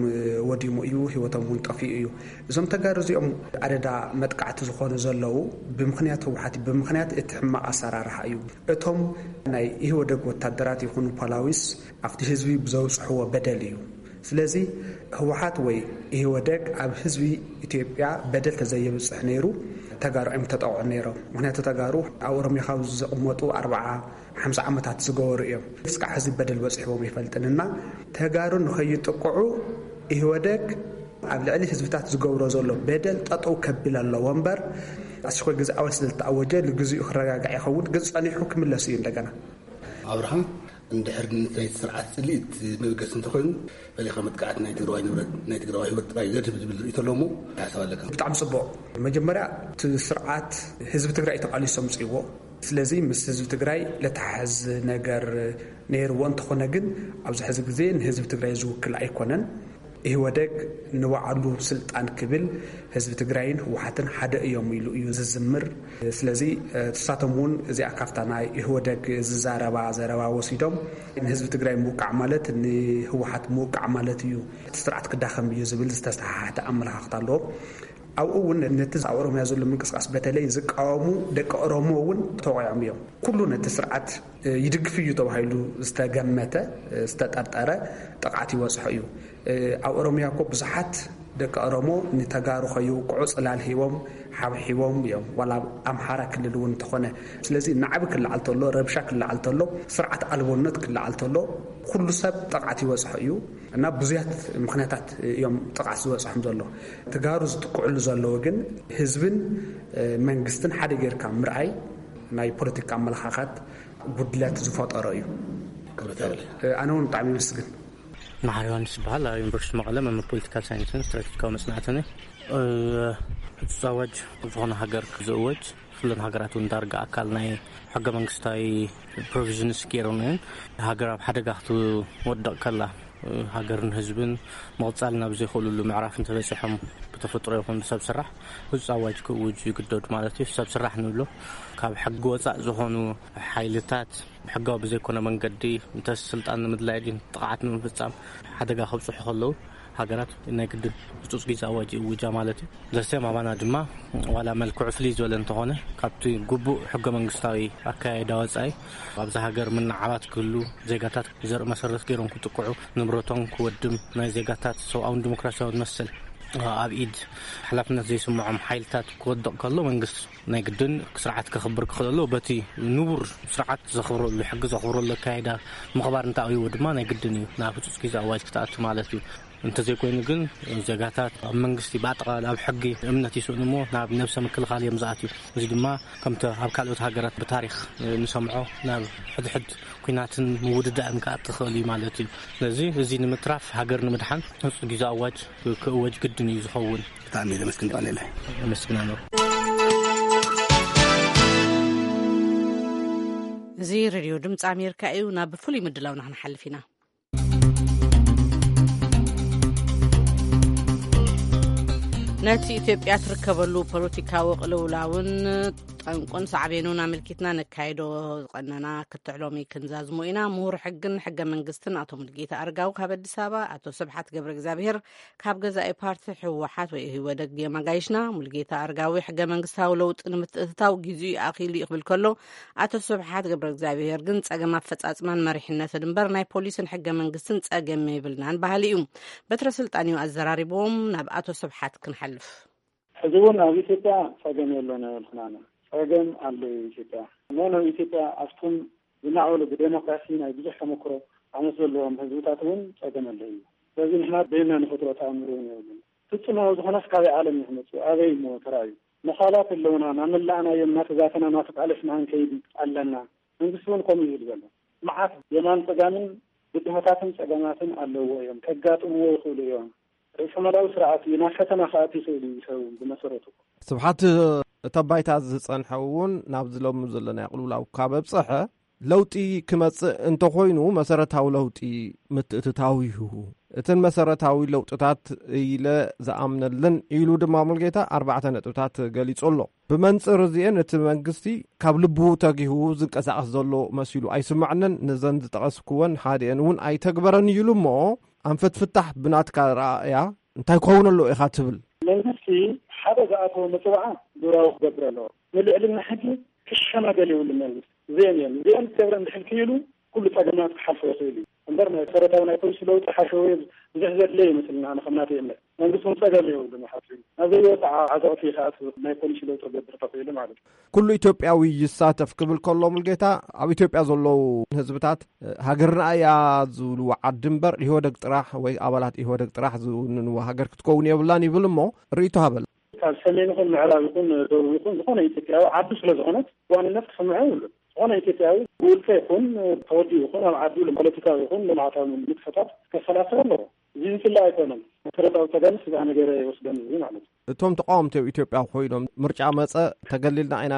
ወዲሙ እዩ፣ ህይወቶም እውን ጠፊኡ እዩ። እዞም ተጋሩ እዚኦም ኣደዳ መጥቃዕቲ ዝኾኑ ዘለዉ ብምኽንያት ህወሓት እዩ፣ ብምኽንያት እቲ ሕማቕ ኣሰራርሓ እዩ። እቶም ናይ ኢህወደግ ወታደራት ይኹኑ ፖላዊስ ኣብቲ ህዝቢ ብዘውፅሕዎ በደል እዩ። ስለዚ ህወሓት ወይ ኢህወደግ ኣብ ህዝቢ ኢትዮጵያ በደል ተዘየብፅሕ ነይሩ ተጋሩ እዮም ተጠቕዑ ነይሮም። ምኽንያቱ ተጋሩ ኣብ ኦሮሚያ ካብ ዝቕመጡ ኣርብዓ ሓምሳ ዓመታት ዝገበሩ እዮም። እስካዕ ህዝቢ በደል በፂሕዎም ኣይፈልጥን እና ተጋሩ ንኸይጥቅዑ ኢህወደግ ኣብ ልዕሊ ህዝብታት ዝገብሮ ዘሎ በደል ጠጠው ከብል ኣለዎ እምበር ኣስቸኳይ ግዜ ኣዋጅ ስለዝተኣወጀ ንግዚኡ ክረጋጋዕ ይኸውን፣ ግን ጸኒሑ ክምለስ እዩ እንደገና። ኣብርሃ፣ እንድሕር ናይቲ ስርዓት ጽልኢት መበገሲ እንተኾይኑ፣ ፈሊኻ መጥቃዕቲ ናይ ትግራዋይ ንብረት፣ ናይ ትግራዋይ ህይወት ጥራይ ዘድህብ ዝብል ርእይቶ ኣሎ እሞ እንታይ ሓሳብ ኣለካ? ብጣዕሚ ጽቡቕ። መጀመርያ እቲ ስርዓት ህዝቢ ትግራይ ተቓሊሱ ኣምጺእዎ። ስለዚ ምስ ህዝቢ ትግራይ ለተሓዝ ነገር ነይርዎ። እንተኾነ ግን ኣብዚ ሕዚ ግዜ ንህዝቢ ትግራይ ዝውክል ኣይኮነን። ኢህወደግ ንባዕሉ ስልጣን ክብል ህዝቢ ትግራይን ህወሓትን ሓደ እዮም ኢሉ እዩ ዝዝምር። ስለዚ ንሳቶም እውን እዚኣ ካብታ ናይ ኢህወደግ ዝዛረባ ዘረባ ወሲዶም ንህዝቢ ትግራይ ምውቃዕ ማለት ንህወሓት ምውቃዕ ማለት እዩ፣ እቲ ስርዓት ክዳኸም እዩ ዝብል ዝተሰሓሓተ ኣመለኻኽታ ኣለዎም። ኣብኡ እውን ነቲ ኣብ ኦሮምያ ዘሎ ምንቅስቃስ በተለይ ዝቃወሙ ደቂ ኦሮሞ እውን ተወቂዖም እዮም። ኩሉ ነቲ ስርዓት ይድግፍ እዩ ተባሂሉ ዝተገመተ ዝተጠርጠረ ጥቕዓት ይበፅሖ እዩ። ኣብ ኦሮምያ እኮ ብዙሓት ደቂ ኦሮሞ ንተጋሩ ከይውቅዑ ፅላል ሂቦም ሓብሒቦም እዮም፣ ዋላ ኣብ ኣምሓራ ክልል እውን እንተኾነ። ስለዚ ናዕቢ ክለዓል ተሎ፣ ረብሻ ክለዓል ተሎ፣ ስርዓት ኣልቦነት ክለዓል ተሎ ኩሉ ሰብ ጥቕዓት ይበፅሖ እዩ እና ብዙያት ምኽንያታት እዮም ጥቕዓት ዝበፅሖም ዘሎ። ተጋሩ ዝጥቅዕሉ ዘለዉ ግን ህዝብን መንግስትን ሓደ ጌርካ ምርኣይ ናይ ፖለቲካ ኣመለኻኻት ጉድለት ዝፈጠሮ እዩ። ክብረት ያብለ። ኣነ እውን ብጣዕሚ ይመስግን። መሓሪ ዮሃንስ ይበሃል። ኣብ ዩኒቨርሲቲ መቐለ መምህር ፖለቲካል ሳይንስን ስትራቴጂካዊ መፅናዕትን እየ። ህፁፅ ኣዋጅ ዝኾነ ሃገር ዝእወጅ፣ ኩለን ሃገራት እውን ዳርጋ ኣካል ናይ ሕገ መንግስታዊ ፕሮቪዥንስ ገይረን እየን። ሃገር ኣብ ሓደጋ ክትወድቕ ከላ፣ ሃገርን ህዝብን ምቕፃል ናብ ዘይኽእሉሉ ምዕራፍ እንተበፂሖም፣ ብተፈጥሮ ይኹን ብሰብ ስራሕ ህፁፅ ኣዋጅ ክእውጁ ይግደዱ ማለት እዩ። ሰብ ስራሕ ንብሎ ካብ ሕጊ ወፃእ ዝኾኑ ሓይልታት ብሕጋዊ ብዘይኮነ መንገዲ እንተ ስልጣን ንምድላይ ድዩ ጥቕዓት ንምፍፃም ሓደጋ ከብፅሑ ከለዉ፣ ሃገራት ናይ ግድን ህጹጽ ግዜ ኣዋጅ ይእውጃ ማለት እዩ። ዘሰም ኣባና ድማ ዋላ መልክዑ ፍልይ ዝበለ እንተኾነ፣ ካብቲ ግቡእ ሕገ መንግስታዊ ኣካያይዳ ወጻኢ፣ ኣብዛ ሃገር ምንዓባት ክህሉ፣ ዜጋታት ዘርኢ መሰረት ገይሮም ክጥቅዑ፣ ንብረቶም ክወድም፣ ናይ ዜጋታት ሰብኣውን ዲሞክራሲያውን መሰል ኣብ ኢድ ሓላፍነት ዘይስምዖም ሓይልታት ክወድቕ ከሎ፣ መንግስቲ ናይ ግድን ስርዓት ከኽብር ክኽእል ኣለዎ። በቲ ንቡር ስርዓት ዘኽብረሉ፣ ሕጊ ዘኽብረሉ ኣካይዳ ምኽባር እንተኣብይዎ ድማ ናይ ግድን እዩ ናብ ህጹጽ ግዜ ኣዋጅ ክትኣቱ ማለት እዩ። እንተዘይኮይኑ ግን ዜጋታት ኣብ መንግስቲ ብኣጠቓላሊ ኣብ ሕጊ እምነት ይስእኑ እሞ ናብ ነብሰ ምክልኻል እዮም ዝኣትዩ። እዚ ድማ ከምቲ ኣብ ካልኦት ሃገራት ብታሪኽ ንሰምዖ ናብ ሕድሕድ ኲናትን ምውድዳእን ክኣቲ ክኽእል እዩ ማለት እዩ። ስለዚ እዚ ንምትራፍ ሃገር ንምድሓን ህጹጽ ግዜ ኣዋጅ ክእወጅ ግድን እዩ ዝኸውን። ብጣዕሚ እየ ዘመስግን ቃሌለ። ኣመስግናለሁ። እዚ ሬድዮ ድምፂ ኣሜሪካ እዩ። ናብ ፍሉይ ምድላውና ክንሓልፍ ኢና። ነቲ ኢትዮጵያ ትርከበሉ ፖለቲካዊ ቅልውላውን ጠንቁን ሳዕቤኑን ኣመልኪትና ነካይዶ ዝቐነና ክትዕ ሎሚ ክንዛዝሞ ኢና። ምሁር ሕግን ሕገ መንግስትን ኣቶ ሙልጌታ ኣርጋው ካብ ኣዲስ ኣበባ፣ ኣቶ ስብሓት ገብረ እግዚኣብሔር ካብ ገዛኢ ፓርቲ ህወሓት ወይ ኢህወደግ እዮም ኣጋይሽና። ሙልጌታ ኣርጋዊ ሕገ መንግስታዊ ለውጢ ንምትእትታው ግዚኡ ኣኺሉ እዩ ክብል ከሎ፣ ኣቶ ስብሓት ገብረ እግዚኣብሔር ግን ጸገም ኣፈጻጽማን መሪሕነትን እምበር ናይ ፖሊስን ሕገ መንግስትን ጸገም የብልናን በሃሊ እዩ። በትረ ስልጣን እዩ ኣዘራሪቦም። ናብ ኣቶ ስብሓት ክንሓልፍ። ሕዚ እውን ኣብ ኢትዮጵያ ጸገም የሎን ኣይበልኩናን። ጸገም ኣሎ ኢትዮጵያ። ኖ፣ ኖ፣ ኢትዮጵያ ኣብቶም ዝማዕበሉ ብዴሞክራሲ ናይ ብዙሕ ተመክሮ ዓመት ዘለዎም ህዝብታት እውን ጸገም ኣሎ እዩ። ስለዚ ንሕና በይና ንፈጥሮ ተኣምር እውን የብሉን። ፍጹማዊ ዝኾነስ ካበይ ዓለም እዩ ክመጽእ? ኣበይ እሞ ተራእዩ? መኻላት ኣለውና፣ እናመላእናዮም፣ እናተዛተና፣ እናተቃለስና ክንከይድ ኣለና። መንግስቲ እውን ከምኡ እዩ ዝብል ዘሎ። መዓት የማን ጸጋምን ብድሆታትን ጸገማትን ኣለውዎ እዮም፣ ከጋጥምዎ ይኽእሉ እዮም። ርእሰ-ማላዊ ስርዓት እዩ፣ ናብ ፈተና ክኣቱ ይኽእል እዩ ሰብ ብመሰረቱ። ስብሓት፣ እቲ ኣብ ባይታ ዝጸንሐ እውን ናብዚ ሎሚ ዘለናዮ ቅልውላው ካብ ኣብጸሐ፣ ለውጢ ክመጽእ እንተኾይኑ መሰረታዊ ለውጢ ምትእትታው እዩ። እተን መሰረታዊ ለውጥታት ኢለ ዝኣምነለን ኢሉ ድማ ሙልጌታ ኣርባዕተ ነጥብታት ገሊጹ ኣሎ። ብመንጽር እዚኤን እቲ መንግስቲ ካብ ልቡ ተጊሁ ዝንቀሳቐስ ዘሎ መሲሉ ኣይስምዐንን። ነዘን ዝጠቐስኩወን ሓዲኤን እውን ኣይተግበረን እዩ ኢሉ እሞ፣ ኣንፈት ፍታሕ ብናትካ ረኣእያ እንታይ ክኸውን ኣለዎ ኢኻ ትብል? መንግስቲ ሓደ ዝኣተወ መጽዋዓ ግብራዊ ክገብር ኣለዎ። ንልዕልና ሕጊ ክሸማገል የብሉ መንግስቲ። እዚአን እየን። እዚአን ክገብረን ድሕር ክኢሉ ኩሉ ጸገማት ክሓልፎ ይኽእል እዩ። እምበር ናይ መሰረታዊ ናይ ፖሊሲ ለውጢ ሓሸውየ ብዙሕ ዘድለ ይመስልና፣ ኣነ ከም ናተይ እምነት። መንግስቲ እውን ጸገም የብሉን ሓፊሩ። ናብ ዘይወጽዓ ዓዘቕቲ ይኽኣት ናይ ፖሊሲ ለውጢ ክገብር ተኽኢሉ ማለት እዩ። ኩሉ ኢትዮጵያዊ ይሳተፍ ክብል ከሎ ሙልጌታ፣ ኣብ ኢትዮጵያ ዘለዉ ህዝብታት ሃገርና እያ ዝብልዎ ዓዲ እምበር ኢህወደግ ጥራሕ ወይ ኣባላት ኢህወደግ ጥራሕ ዝውንንዎ ሃገር ክትከውን የብላን ይብል እሞ ርእይቶ ሃበል። ካብ ሰሜን ይኹን ምዕራብ ይኹን ደቡብ ይኹን ዝኾነ ኢትዮጵያዊ ዓዱ ስለ ዝኾነት ዋንነት ክስምዖ ይብሉን። ዝኾነ ኢትዮጵያዊ ብውልቀ ይኹን ተወዲኡ ይኹን ኣብ ዓዱ ፖለቲካዊ ይኹን ልምዓታዊ ንጥፈታት ከሰላስል ኣለዎ። እዚ ዝፍለ ኣይኮነን። መሰረታዊ ጸገምስ እዛ ነገር ይወስደን እዚ ማለት እዩ። እቶም ተቃወምቲ ኣብ ኢትዮጵያ ኮይኖም ምርጫ መጸ ተገሊልና ኢና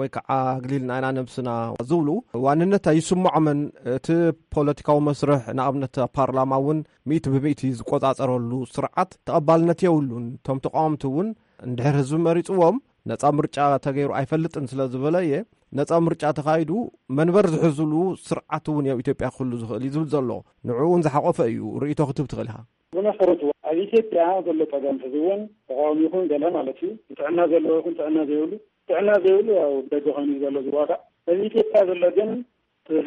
ወይ ከዓ ኣግሊልና ኢና ነብስና ዝብሉ ዋንነት ኣይስምዖምን። እቲ ፖለቲካዊ መስርሕ ንኣብነት ኣብ ፓርላማ እውን ሚእቲ ብሚእቲ ዝቆጻጸረሉ ስርዓት ተቐባልነት የብሉን። እቶም ተቃወምቲ እውን እንድሕር ህዝቢ መሪጽዎም ነጻ ምርጫ ተገይሩ ኣይፈልጥን ስለ ዝበለ እየ። ነጻ ምርጫ ተኻይዱ መንበር ዝሕዝሉ ስርዓት እውን ኣብ ኢትዮጵያ ክህሉ ዝኽእል እዩ ዝብል ዘሎ። ንዕኡ እውን ዝሓቆፈ እዩ። ርእይቶ ክትብ ትኽእል ኢኻ። ብመሰረቱ ኣብ ኢትዮጵያ ዘሎ ጸገም ሕዚ እውን ተቃዋሚ ይኹን ገለ ማለት እዩ፣ ጥዕና ዘለዎ ይኹን ጥዕና ዘይብሉ፣ ጥዕና ዘይብሉ ያው ብደገ ኮይኑ እዩ ዘሎ ዝዋጋእ። ኣብ ኢትዮጵያ ዘሎ ግን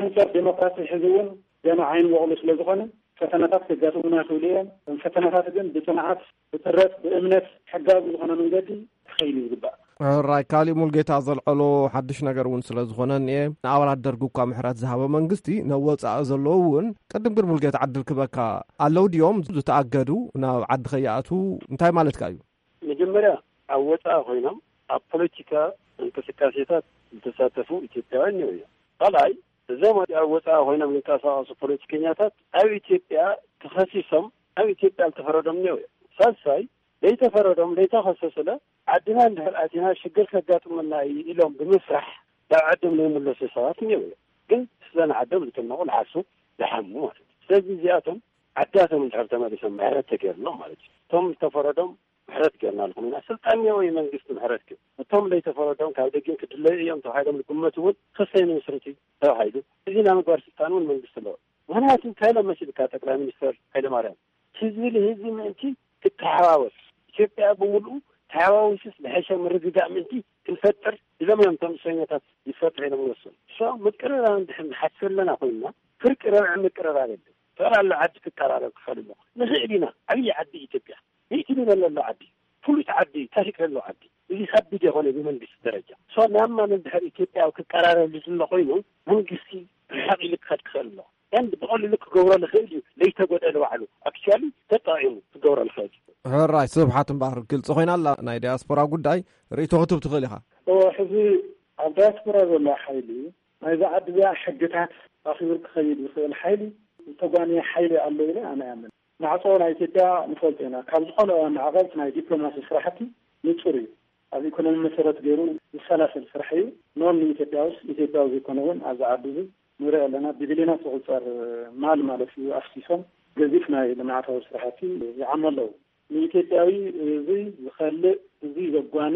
ህንጸት ዴሞክራሲ ሕዚ እውን ገና ዓይኒ በቑሉ ስለ ዝኾነ ፈተናታት ከጋጥሙና ይኽእሉ እዮም። እዞም ፈተናታት ግን ብጽንዓት፣ ብጥረት፣ ብእምነት፣ ሕጋዊ ዝኾነ መንገዲ ክኸይድ እዩ ዝግባእ። ሕራይ ካሊእ ሙልጌታ ዘልዐሎ ሓድሽ ነገር እውን ስለ ዝኾነ እኒኤ፣ ንኣባላት ደርጊ እኳ ምሕረት ዝሃበ መንግስቲ፣ ናብ ወጻኢ ዘለዉ እውን ቅድም ግን ሙልጌታ ዕድል ክበካ ኣለዉ ድዮም ዝተኣገዱ ናብ ዓዲ ከይኣትዉ እንታይ ማለትካ እዩ? መጀመርያ ኣብ ወጻኢ ኮይኖም ኣብ ፖለቲካ እንቅስቃሴታት ዝተሳተፉ ኢትዮጵያውያን እኒኦ እዮም። ካልኣይ እዞም ኣብ ወጻኢ ኮይኖም ዝንቀሳቐሱ ፖለቲከኛታት ኣብ ኢትዮጵያ ተኸሲሶም ኣብ ኢትዮጵያ ዝተፈረዶም እኒኦ እዮም። ሳልሳይ ለይተፈረዶም ለይተኸሰሱለ ዓድና እንድሕር ኣቲና ሽግር ከጋጥመና እዩ ኢሎም ብምፍራሕ ናብ ዓዶም ዘይምለሱ ሰባት እኒኦ እዮም። ግን ስለ ንዓዶም ዝጨነቑ ዝሓሱ ዝሓሙ ማለት እዩ። ስለዚ እዚኣቶም ዓዳቶም እንድሕር ተመሊሶም ምሕረት ተገይርሎም ማለት እዩ። እቶም ዝተፈረዶም ምሕረት ገይርናልኩም ኢና። ስልጣን እኒኦ እዩ መንግስቲ ምሕረት ግን እቶም ለይተፈረዶም ካብ ደጊም ክድለዩ እዮም ተባሂሎም ዝግመቱ እውን ክሰይ ንምስርቲ ተባሂሉ እዚ ናይ ምግባር ስልጣን እውን መንግስቲ ኣለዎ። ምክንያቱ እንታይ ኢሎም መሲልካ ጠቅላይ ሚኒስትር ሃይለማርያም ህዝቢ ንህዝቢ ምእንቲ ክተሓዋወስ፣ ኢትዮጵያ ብምሉኡ ተሓዋዊስስ ዝሐሸ ምርግጋእ ምእንቲ ክንፈጥር፣ እዞም እዮም እቶም እስረኛታት ይፈጥሑ ኢሎም ዝወሰኑ። So ምቅርራብ እንድሕር ንሓስብ ኣለና ኮይንና፣ ፍርቂ ረብዐ ምቅርራብ የለን። ጠቕላላ ዓዲ ክቀራረብ ክኽእል ኣሎ። ንኽእል ኢና። ዓብዪ ዓዲ ኢትዮጵያ፣ ሚእቲ ሚልዮን ዘሎ ዓዲ፣ ፍሉጥ ዓዲ፣ ታሪክ ዘለዎ ዓዲ። እዚ ከቢድ የኾነ ብመንግስቲ ደረጃ። So ናብ ማን እንድሕር ኢትዮጵያዊ ክቀራረብ ዝሎ ኮይኑ፣ መንግስቲ ርሕቕ ኢሉ ክኸድ ክኽእል ኣሎ። And ብቐሊሉ ክገብሮ ዝኽእል እዩ፣ ለይተጎደለ ባዕሉ። Actually ተጠቒሙ ክገብሮ ዝኽእል እዩ። ሕራይ ስብሓት እምበኣር፣ ግልፂ ኮይና ኣላ ናይ ዲያስፖራ ጉዳይ። ርእይቶ ክትብ ትኽእል ኢኻ። እወ፣ ሕዚ ኣብ ዳያስፖራ ዘሎ ሓይሊ ናይዛ ዓዲ እዚኣ ሕግታት ኣኽቢሩ ክኸይድ ዝኽእል ሓይሊ ዝተጓነየ ሓይሊ ኣሎ ኢለ ኣነ እኣምን። ማዕጾ ናይ ኢትዮጵያ ንፈልጦ ኢና። ካብ ዝኾነ እዋን ንዓቐብ ናይ ዲፕሎማሲ ስራሕቲ ንጹር እዩ። ኣብ ኢኮኖሚ መሰረት ገይሩ ዝሰላሰል ስራሕ እዩ። ኖን ንኢትዮጵያ ውስ ኢትዮጵያዊ ዘይኮነ እውን ኣብዚ ዓዲ እዚ ንርኢ ኣለና። ብቢልዮናት ዝቑጸር ማል ማለት እዩ ኣፍሲሶም፣ ገዚፍ ናይ ልምዓታዊ ስራሕቲ ይዓሙ ኣለዉ። ንኢትዮጵያዊ እዚ ዝኸልእ፣ እዚ ዘጓኒ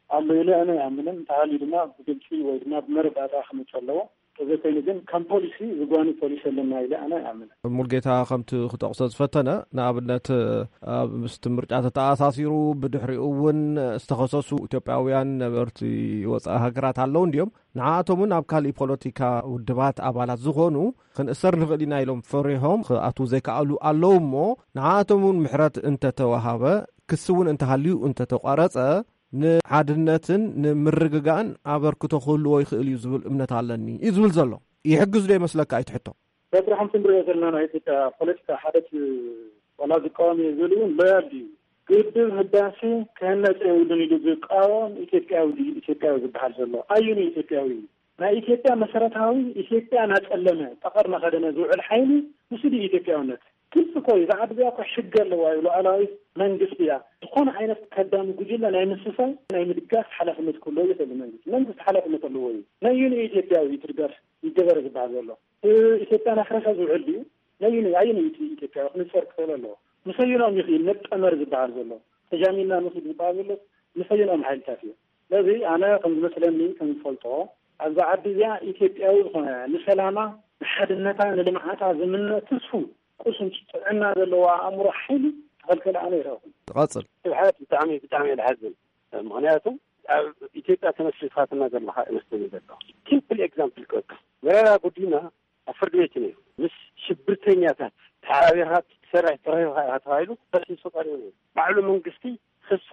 ኣሎ ኢለ ኣነ ኣይኣምንን። እንተሃልዩ ድማ ብግልፂ ወይ ድማ ብመረዳእታ ክመፅእ ኣለዎ። ተዘይኮይኑ ግን ከም ፖሊሲ ዝጓኒ ፖሊሲ ኣለና ኢለ ኣነ ኣይኣምንን። ሙልጌታ ከምቲ ክጠቕሶ ዝፈተነ፣ ንኣብነት ኣብ ምስቲ ምርጫ ተተኣሳሲሩ ብድሕሪኡ እውን ዝተኸሰሱ ኢትዮጵያውያን ነበርቲ ወፃኢ ሃገራት ኣለዉ እንዲዮም። ንዓኣቶም እውን ኣብ ካሊእ ፖለቲካ ውድባት ኣባላት ዝኾኑ ክንእሰር ንኽእል ኢና ኢሎም ፈሪሆም ክኣትዉ ዘይከኣሉ ኣለዉ እሞ፣ ንዓኣቶም እውን ምሕረት እንተተዋሃበ፣ ክሲ እውን እንተሃልዩ እንተተቋረጸ፣ ንሓድነትን ንምርግጋእን ኣበርክቶ ክህልዎ ይኽእል እዩ ዝብል እምነት ኣለኒ እዩ ዝብል ዘሎ። ይሕግዝ ዶ ይመስለካ? ኣይትሕቶ። በብርሃን ክንሪኦ ዘለና ናይ ኢትዮጵያ ፖለቲካ ሓደ እቲ ዋላ ዝቃወም እየ ዝብል እውን ሎያል ድዩ? ግድብ ህዳሴ ክህነፅ የብሉን ኢሉ ዝቃወም ኢትዮጵያዊ ድዩ? ኢትዮጵያዊ ዝበሃል ዘሎ ኣየኑ ኢትዮጵያዊ እዩ? ናይ ኢትዮጵያ መሰረታዊ ኢትዮጵያ እናጸለመ ጠቐር እናኸደነ ዝውዕል ሓይሊ ንሱ ድዩ ኢትዮጵያውነት? ግልፂ እኮ እዩ። እዛ ዓዲ እዚኣ እኮ ሕጊ ኣለዋ እዩ። ሉዓላዊት መንግስቲ እያ። ዝኾነ ዓይነት ከዳሚ ጉጅለ ናይ ምስሳይ ናይ ምድጋፍ ሓላፍነት ክህልዎ ይኽእል መንግስቲ። መንግስቲ ሓላፍነት ኣለዎ እዩ። ነየኑ ኢትዮጵያዊ እዩ እቲ ድጋፍ ይገበር ዝበሃል ዘሎ? ኢትዮጵያ ናፍረሰ ዝውዕል ድዩ? ነይኑ ኣየነይቲ ኢትዮጵያ ክንፀር ክኽእል ኣለዎ? ምሰይኖም ይኽእል መጠመር ዝበሃል ዘሎ ተጃሚና ንኽድ ዝበሃል ዘሎ ምሰይኖም ሓይልታት እዩ። ስለዚ ኣነ ከም ዝመስለኒ ከም ዝፈልጦ ኣብዛ ዓዲ እዚኣ ኢትዮጵያዊ ዝኾነ ንሰላማ ንሓድነታ ንልምዓታ ዝምነ ትስፉ ቁሱን ጥዕና ዘለዎ ኣእምሮ ሓይሊ ተኸልከለ ኣነ ይረኹም። ትቐጽል። ስብሓት ብጣዕሚ ብጣዕሚ እየ ዝሓዝን። ምኽንያቱ ኣብ ኢትዮጵያ ተመስሪትካ ትናገር ኣለኻ ይመስለኒ ዘሎ። ሲምፕል ኤግዛምፕል ክወካ መረራ ጉዲና ኣብ ፍርዲ ቤት ነይሩ። ምስ ሽብርተኛታት ተሓባቢርካ ትሰርሕ ተረኺብካ ኢኻ ተባሂሉ ተኸሲሱ ቀሪቡ ነይሩ። ባዕሉ መንግስቲ ክሱ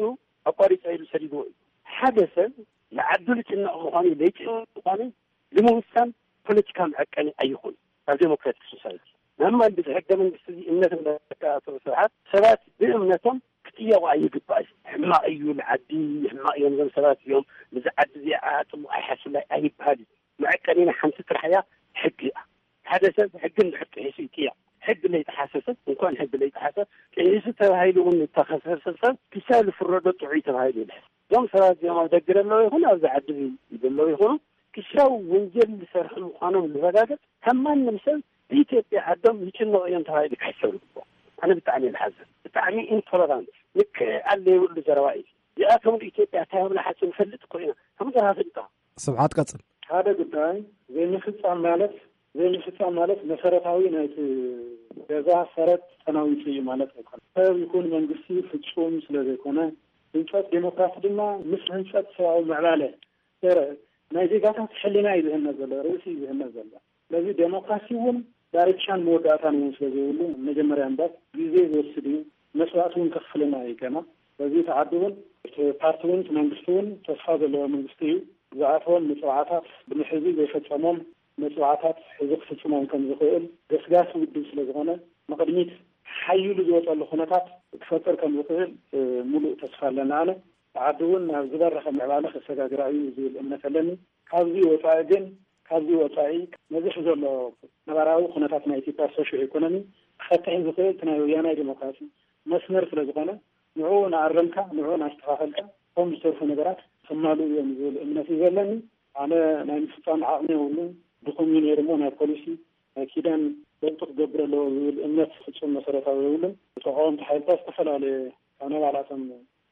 ኣቋሪፀ ኢሉ ሰዲድዎ እዩ። ሓደ ሰብ ንዓዱ ልጭነቕ ምዃኑ ለይጭነቕ ምዃኑ ንምውሳን ፖለቲካ መዐቀኒ ኣይኹን ኣብ ዴሞክራቲክ ሶሳይቲ። ናማን ብዚ ሕገ መንግስቲ እዚ እምነት እንዳተካእተው ስርዓት ሰባት ብእምነቶም ክጥየቑ ኣይግባእ እዩ። ሕማቕ እዩ ንዓዲ፣ ሕማቕ እዮም እዞም ሰባት እዮም፣ ንዚ ዓዲ እዚኣ ጽቡቕ ኣይሓስብላይ ኣይበሃል እዩ። መዐቀኒና ሓንቲ ጥራሕ እያ፣ ሕጊ እያ። ሓደ ሰብ ሕጊ እንድሕር ጥሒሱ ይጥየቕ። ሕጊ ለይጠሓሰ ሰብ እንኳን ሕጊ ለይጠሓሰ ጥሒሱ ተባሂሉ እውን ዝተኸሰሰ ሰብ ክሳብ ዝፍረዶ ጥዑይ ተባሂሉ ይልሕስ። እዞም ሰባት እዚኦም ኣብ ደገ ዘለዉ ይኹን ኣብዚ ዓዲ ዘለዉ ይኹኑ ክሻው ወንጀል ዝሰርሑ ምዃኖም ዝረጋገጽ ካብ ማንም ሰብ ብኢትዮጵያ ዓዶም ይጭነቑ እዮም ተባሂሉ ክሕሰብ ይግብኦ። ኣነ ብጣዕሚ እየ ዝሓዝን። ብጣዕሚ ኢንቶለራንት ልክዕ ኣለ የብሉ ዘረባ እዩ። እዚኣቶም ኢትዮጵያ እንታይ ኣብላ ሓፂ ንፈልጥ እኮ ኢና። ከምዚ ራፍልጣ ስብሓት ቀጽል። ሓደ ጉዳይ ዘይምፍጻም ማለት ዘይምፍጻም ማለት መሰረታዊ ናይቲ ገዛ ሰረት ተናዊጹ እዩ ማለት ኣይኮነ። ሰብ ይኹን መንግስቲ ፍጹም ስለ ዘይኮነ ህንጸት ዴሞክራሲ ድማ ምስ ህንጸት ሰብኣዊ ምዕባለ ሰረ ናይ ዜጋታት ሕሊና እዩ ዝህነ ዘሎ፣ ርእሲ እዩ ዝህነ ዘሎ። ስለዚ ዴሞክራሲ እውን ዳርቻን መወዳእታን እውን ስለ ዘይብሉ መጀመርያ እምበር ግዜ ዝወስድ እዩ፣ መስዋእቲ እውን ከኽፍለና እዩ ገና። ስለዚ እቲ ዓዲ እውን እቲ ፓርቲ እውን እቲ መንግስቲ እውን ተስፋ ዘለዎ መንግስቲ እዩ። ዝኣተዎም መፅዋዕታት ብምሕዚ ዘይፈፀሞም መፅዋዕታት ሕዚ ክፍፅሞም ከም ዝኽእል ገስጋሲ ውድብ ስለ ዝኾነ ንቕድሚት ሓይሉ ዝወፀሉ ኩነታት ክፈጥር ከም ዝኽእል ሙሉእ ተስፋ ኣለና። ኣነ ዓዲ እውን ናብ ዝበረኸ ምዕባለ ከሰጋግራ እዩ ዝብል እምነት ኣለኒ። ካብዚ ወፃኢ ግን ካብዚ ወፃኢ ነዚ ሕዚ ዘሎ ነባራዊ ኩነታት ናይ ኢትዮጵያ ሶሾ ኢኮኖሚ ክፈትሕ ዝኽእል እቲ ናይ ወያናይ ዴሞክራሲ መስመር ስለ ዝኾነ ንዕኡ እናኣረምካ ንዕኡ እናስተኻኸልካ ከም ዝተርፉ ነገራት ክማልኡ እዮም ዝብል እምነት እዩ ዘለኒ። ኣነ ናይ ምፍፃም ዓቕሚ የብሉን፣ ድኹም እዩ ነይሩ እሞ ናይ ፖሊሲ ናይ ኪዳን ለውጢ ክገብር ኣለዎ ዝብል እምነት ፍፁም መሰረታዊ የብሉን። ተቃወምቲ ሓይልታት ዝተፈላለየ ካብ ነባላቶም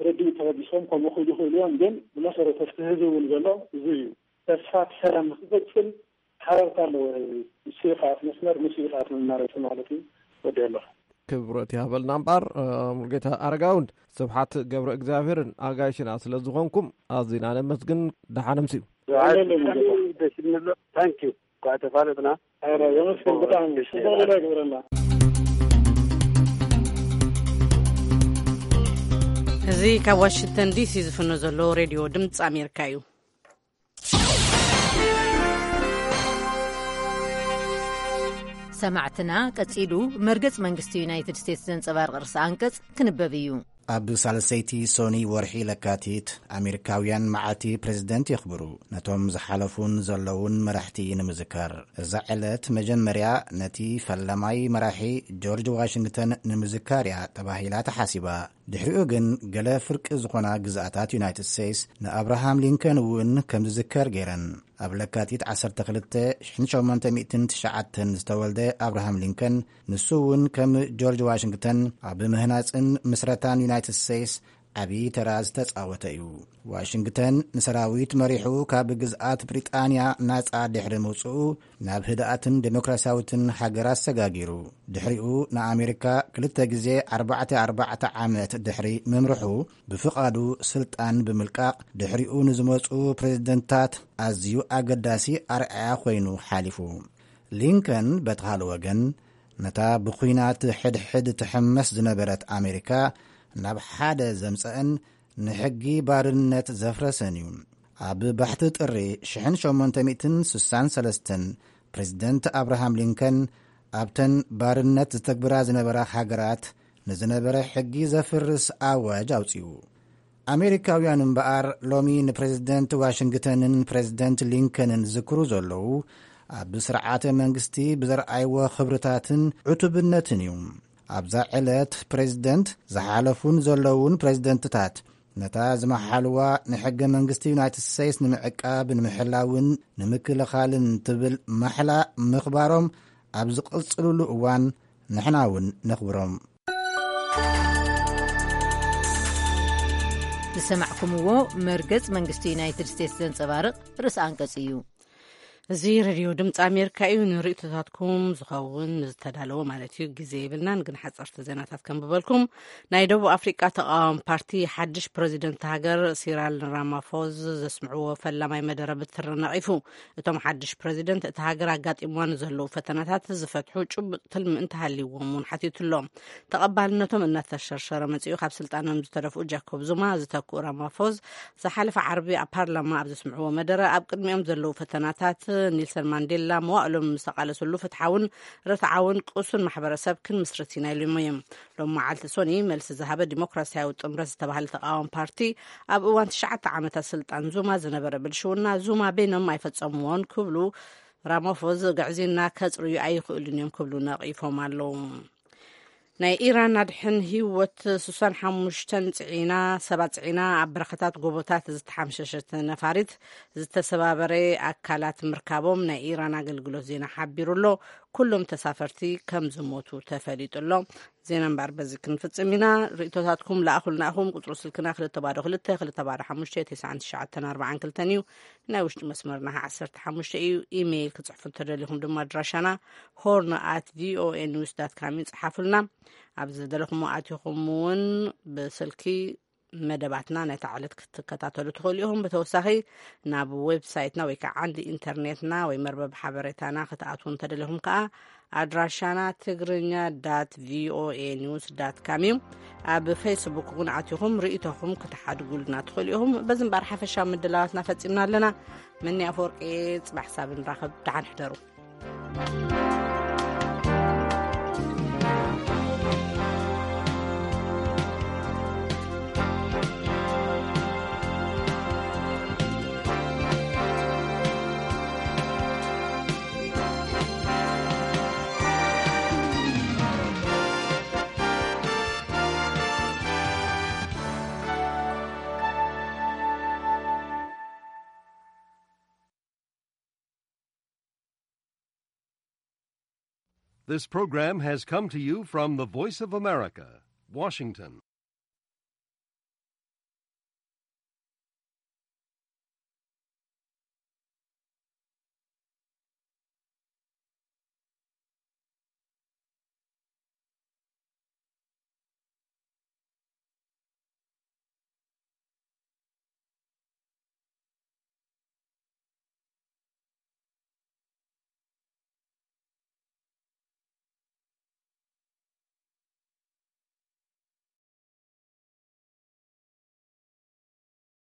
ርድኢት ተበጊሶም ከምኡ ክኢሉ ይኽእሉ እዮም፣ ግን ብመሰረቱ እቲ ህዝቢ እውን ዘሎ እዚ እዩ። ተስፋ እቲ ሰላም ንክቕፅል ሓረርታ ኣለዎ ህዝቢ። ንሱ እዩ ከኣት መስመር፣ ንሱ እዩ ከኣት መማረፂ ማለት እዩ። ወዲ ኣለኹ። ክብረት ይሃበልና እምበኣር። ሙሉጌታ ኣረጋውን ስብሓት ገብረ እግዚኣብሔርን ኣጋይሽና ስለ ዝኾንኩም ኣዚና ነመስግን። ደሓን ኣምስዩ። ደስ ይብሎ። ታንኪዩ። ኳ ተፋለጥና። የመስግን። ብጣዕሚ ሌላ ግብረና። እዚ ካብ ዋሽንግተን ዲሲ ዝፍኖ ዘሎ ሬድዮ ድምፂ ኣሜሪካ እዩ። ሰማዕትና፣ ቀጺሉ መርገጽ መንግስቲ ዩናይትድ ስቴትስ ዘንጸባርቕ ርእሰ ኣንቀጽ ክንበብ እዩ። ኣብ ሳልሰይቲ ሶኒ ወርሒ ለካቲት፣ ኣሜሪካውያን መዓልቲ ፕሬዝደንት የኽብሩ። ነቶም ዝሓለፉን ዘለውን መራሕቲ ንምዝካር። እዛ ዕለት መጀመርያ ነቲ ፈላማይ መራሒ ጆርጅ ዋሽንግተን ንምዝካር እያ ተባሂላ ተሓሲባ። ድሕሪኡ ግን ገለ ፍርቂ ዝኾና ግዝኣታት ዩናይትድ ስቴትስ ንኣብርሃም ሊንከን እውን ከም ዝዝከር ገይረን። ኣብ ለካቲት ዓሰርተ ክልተ ሽሕን ሸሞንተ ሚእትን ትሽዓተን ዝተወልደ ኣብርሃም ሊንከን፣ ንሱ እውን ከም ጆርጅ ዋሽንግተን ኣብ ምህናጽን ምስረታን ዩናይትድ ስቴትስ ዓቢ ተራ ዝተጻወተ እዩ። ዋሽንግተን ንሰራዊት መሪሑ ካብ ግዝኣት ብሪጣንያ ናጻ ድሕሪ ምውጽኡ፣ ናብ ህድኣትን ዴሞክራሲያዊትን ሃገር ኣሰጋጊሩ። ድሕሪኡ ንኣሜሪካ ክልተ ግዜ ኣርባዕተ ኣርባዕተ ዓመት ድሕሪ ምምርሑ፣ ብፍቓዱ ስልጣን ብምልቃቕ፣ ድሕሪኡ ንዝመጹ ፕሬዝደንታት ኣዝዩ ኣገዳሲ ኣርኣያ ኮይኑ ሓሊፉ። ሊንከን በቲ ካልእ ወገን፣ ነታ ብኲናት ሕድሕድ ትሕመስ ዝነበረት ኣሜሪካ ናብ ሓደ ዘምጸአን ንሕጊ ባርነት ዘፍረሰን እዩ። ኣብ ባሕቲ ጥሪ ሽሕን ሸሞንተ ሚእትን ስሳን ሰለስተን ፕሬዝደንት ኣብርሃም ሊንከን ኣብተን ባርነት ዝተግብራ ዝነበራ ሃገራት ንዝነበረ ሕጊ ዘፍርስ ኣዋጅ ኣውጺኡ። ኣሜሪካውያን እምበኣር ሎሚ ንፕሬዝደንት ዋሽንግተንን ፕሬዝደንት ሊንከንን ዝዝክሩ ዘለዉ ኣብ ስርዓተ መንግስቲ ብዘርኣይዎ ክብርታትን ዕቱብነትን እዩ። ኣብዛ ዕለት ፕሬዝደንት ዝሓለፉን ዘለዉን ፕሬዝደንትታት ነታ ዝመሓልዋ ንሕገ መንግስቲ ዩናይትድ ስቴትስ ንምዕቃብ፣ ንምሕላውን ንምክልኻልን ትብል ማሕላ ምኽባሮም ኣብ ዝቕጽልሉ እዋን ንሕና እውን ነኽብሮም። ዝሰማዕኩምዎ መርገጽ መንግስቲ ዩናይትድ ስቴትስ ዘንጸባርቕ ርእሲ ኣንቀጽ እዩ። እዚ ሬድዮ ድምፂ ኣሜሪካ እዩ። ንርእይቶታትኩም ዝኸውን ዝተዳለወ ማለት እዩ። ግዜ የብልናን፣ ግን ሓፀርቲ ዜናታት ከንብበልኩም። ናይ ደቡብ ኣፍሪቃ ተቃዋሚ ፓርቲ ሓድሽ ፕረዚደንት ሃገር ሲራል ራማፎዝ ዘስምዕዎ ፈላማይ መደረ ብትሪ ነቒፉ። እቶም ሓድሽ ፕረዚደንት እቲ ሃገር ኣጋጢምዋ ንዘለዉ ፈተናታት ዝፈትሑ ጭቡጥ ትልሚ እንተሃልይዎም እውን ሓቲቱ ኣሎ። ተቐባልነቶም እናተሸርሸረ መጺኡ ካብ ስልጣኖም ዝተደፍኡ ጃኮብ ዙማ ዝተክኡ ራማፎዝ ዝሓለፈ ዓርቢ ኣብ ፓርላማ ኣብ ዘስምዕዎ መደረ ኣብ ቅድሚኦም ዘለዉ ፈተናታት ኒልሰን ማንዴላ መዋእሎም ምስ ተቓለሰሉ ፍትሓውን ርትዓውን ቅሱን ማሕበረሰብ ክንምስርት ኢና ኢሎም እዮም። ሎም መዓልቲ ሶኒ መልሲ ዝሃበ ዲሞክራሲያዊ ጥምረት ዝተባህለ ተቃዋሚ ፓርቲ ኣብ እዋን ትሽዓተ ዓመታት ስልጣን ዙማ ዝነበረ ብልሽውና ዙማ በይኖም ኣይፈጸምዎን ክብሉ ራማፎዝ ግዕዝይና ከጽርዩ ኣይኽእሉን እዮም ክብሉ ነቒፎም ኣለዉ። ናይ ኢራን ኣድሕን ህይወት ስሳን ሓሙሽተን ጽዒና ሰባት ጽዒና ኣብ በረኸታት ጎቦታት ዝተሓምሸሸት ነፋሪት ዝተሰባበረ ኣካላት ምርካቦም ናይ ኢራን ኣገልግሎት ዜና ሓቢሩ ኣሎ። ኩሎም ተሳፈርቲ ከም ዝሞቱ ተፈሊጡ ኣሎ። ዜና እምበኣር በዚ ክንፍጽም ኢና። ርእቶታትኩም ለኣኹልና ኢኹም። ቁጽሪ ስልክና ክልተ ባዶ ክልተ ክልተ ባዶ ሓሙሽተ ተስዓን ትሽዓተን ኣርባዓን ክልተን እዩ። ናይ ውሽጢ መስመርና ዓሰርተ ሓሙሽተ እዩ። ኢሜይል ክጽሕፉ እንተደሊኹም ድማ ኣድራሻና ሆርን ኣት ቪኦኤ ኒውስ ዳት ካም እዩ። ጽሓፉልና። ኣብ ዝደለኹሞ ኣቲኹም እውን ብስልኪ መደባትና ነታ ዕለት ክትከታተሉ ትኽእሉ ኢኹም። ብተወሳኺ ናብ ዌብሳይትና ወይ ከዓ ዓንዲ ኢንተርኔትና ወይ መርበብ ሓበሬታና ክትኣትዉ እንተደሊኹም ከዓ ኣድራሻና ትግርኛ ዳት ቪኦኤ ኒውስ ዳት ካም እዩ። ኣብ ፌስቡክ እውን ኣቲኹም ርእይቶኹም ክትሓድጉልና ትኽእሉ ኢኹም። በዚ እምበኣር ሓፈሻዊ ምድላዋትና ፈጺምና ኣለና። መኒ ኣፈወርቂ፣ ጽባሕ ሳብ ንራኸብ። ደሓን ሕደሩ። This program has come to you from the Voice of America, Washington.